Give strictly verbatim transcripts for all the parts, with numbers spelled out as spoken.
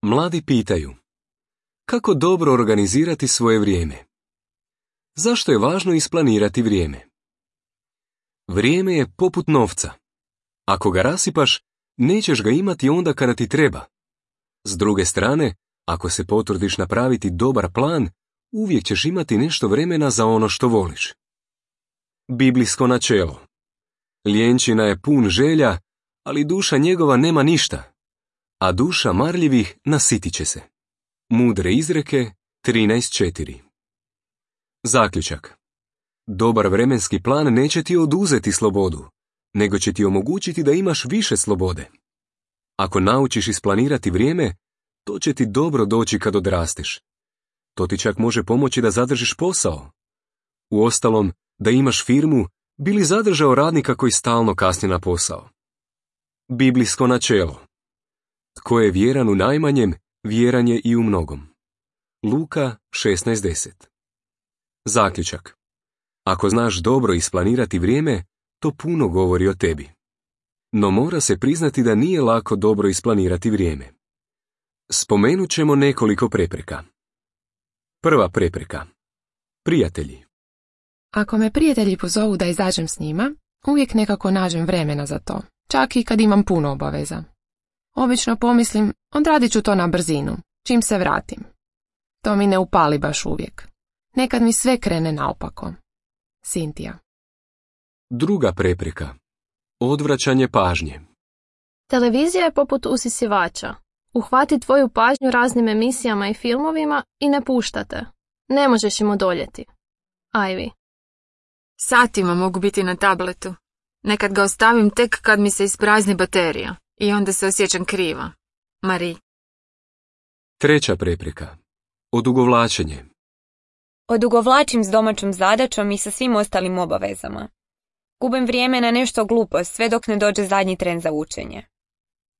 Mladi pitaju: kako dobro organizirati svoje vrijeme? Zašto je važno isplanirati vrijeme? Vrijeme je poput novca. Ako ga rasipaš, nećeš ga imati onda kada ti treba. S druge strane, ako se potrudiš napraviti dobar plan, uvijek ćeš imati nešto vremena za ono što voliš. Biblijsko načelo. Ljenčina je pun želja, ali duša njegova nema ništa, a duša marljivih nasitit će se. Mudre izreke trinaest četiri. Zaključak. Dobar vremenski plan neće ti oduzeti slobodu, nego će ti omogućiti da imaš više slobode. Ako naučiš isplanirati vrijeme, to će ti dobro doći kad odrasteš. To ti čak može pomoći da zadržiš posao. Uostalom, da imaš firmu, bi li zadržao radnika koji stalno kasni na posao? Biblijsko načelo. Tko je vjeran u najmanjem, vjeran je i u mnogom. Luka šesnaest deset. Zaključak. Ako znaš dobro isplanirati vrijeme, to puno govori o tebi. No mora se priznati da nije lako dobro isplanirati vrijeme. Spomenut ćemo nekoliko prepreka. Prva prepreka. Prijatelji. Ako me prijatelji pozovu da izađem s njima, uvijek nekako nađem vremena za to, čak i kad imam puno obaveza. Obično pomislim, odradit ću to na brzinu, čim se vratim. To mi ne upali baš uvijek. Nekad mi sve krene naopako. Sintija. Druga prepreka. Odvraćanje pažnje. Televizija je poput usisivača. Uhvati tvoju pažnju raznim emisijama i filmovima i ne pušta te. Ne možeš im odoljeti. Ivy. Satima mogu biti na tabletu. Nekad ga ostavim tek kad mi se isprazni baterija i onda se osjećam kriva. Marie. Treća prepreka. Odugovlačenje. Odugovlačim s domaćom zadaćom i sa svim ostalim obavezama. Gubim vrijeme na nešto glupo sve dok ne dođe zadnji tren za učenje.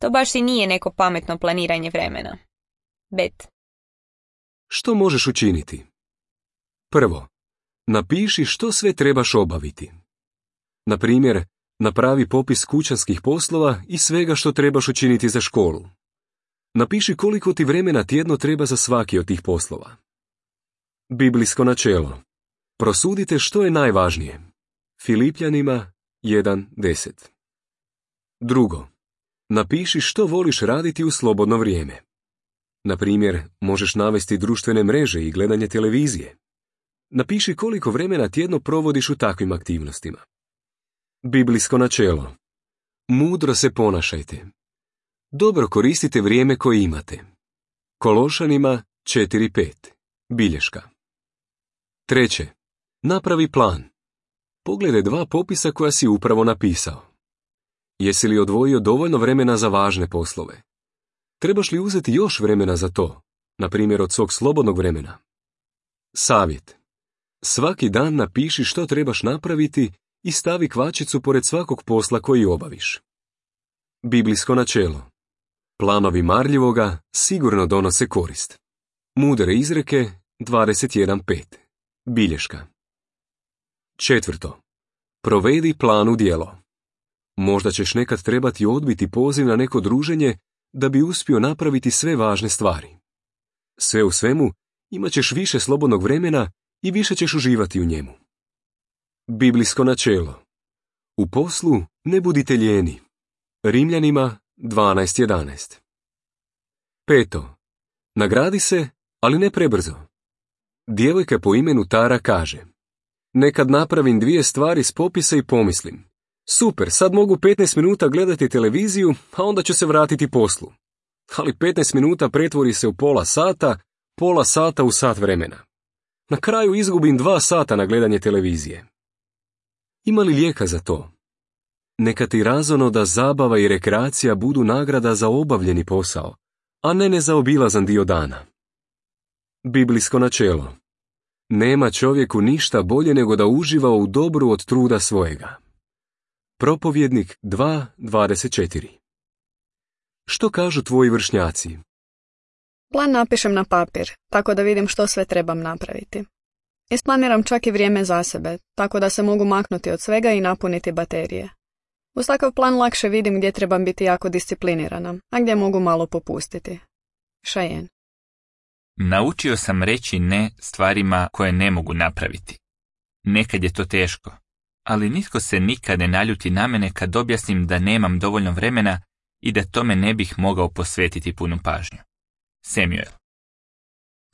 To baš i nije neko pametno planiranje vremena. Bet. Što možeš učiniti? Prvo, napiši što sve trebaš obaviti. Na primjer, napravi popis kućanskih poslova i svega što trebaš učiniti za školu. Napiši koliko ti vremena tjedno treba za svaki od tih poslova. Biblijsko načelo. Prosudite što je najvažnije. Filipljanima jedan deset. Drugo, napiši što voliš raditi u slobodno vrijeme. Na primjer, možeš navesti društvene mreže i gledanje televizije. Napiši koliko vremena tjedno provodiš u takvim aktivnostima. Biblijsko načelo. Mudro se ponašajte. Dobro koristite vrijeme koje imate. Kološanima četiri pet. Bilješka. Treće. Napravi plan. Pogledaj dva popisa koja si upravo napisao. Jesi li odvojio dovoljno vremena za važne poslove? Trebaš li uzeti još vremena za to, na primjer od svog slobodnog vremena? Savjet. Svaki dan napiši što trebaš napraviti i stavi kvačicu pored svakog posla koji obaviš. Biblijsko načelo. Planovi marljivoga sigurno donose korist. Mudre izreke dvadeset jedan pet. Bilješka. Četvrto. Provedi plan u djelo. Možda ćeš nekad trebati odbiti poziv na neko druženje da bi uspio napraviti sve važne stvari. Sve u svemu, imat ćeš više slobodnog vremena i više ćeš uživati u njemu. Biblijsko načelo. U poslu ne budite lijeni. Rimljanima dvanaest jedanaest. Peto. Nagradi se, ali ne prebrzo. Djevojka po imenu Tara kaže: nekad napravim dvije stvari s popisa i pomislim: super, sad mogu petnaest minuta gledati televiziju, a onda ću se vratiti poslu. Ali petnaest minuta pretvori se u pola sata, pola sata u sat vremena. Na kraju izgubim dva sata na gledanje televizije. Ima li lijeka za to? Neka ti razono da zabava i rekreacija budu nagrada za obavljeni posao, a ne nezaobilazan dio dana. Biblijsko načelo. Nema čovjeku ništa bolje nego da uživa u dobru od truda svojega. Propovjednik dva dvadeset četiri. Što kažu tvoji vršnjaci? Plan napišem na papir, tako da vidim što sve trebam napraviti. Isplaniram čak i vrijeme za sebe, tako da se mogu maknuti od svega i napuniti baterije. Uz takav plan lakše vidim gdje trebam biti jako disciplinirana, a gdje mogu malo popustiti. Cheyenne. Naučio sam reći ne stvarima koje ne mogu napraviti. Nekad je to teško, ali nitko se nikad ne naljuti na mene kad objasnim da nemam dovoljno vremena i da tome ne bih mogao posvetiti punu pažnju. Samuel.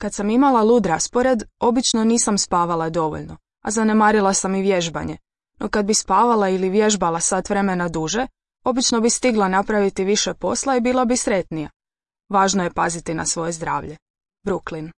Kad sam imala lud raspored, obično nisam spavala dovoljno, a zanemarila sam i vježbanje. No kad bi spavala ili vježbala sat vremena duže, obično bi stigla napraviti više posla i bila bi sretnija. Važno je paziti na svoje zdravlje. Brooklyn.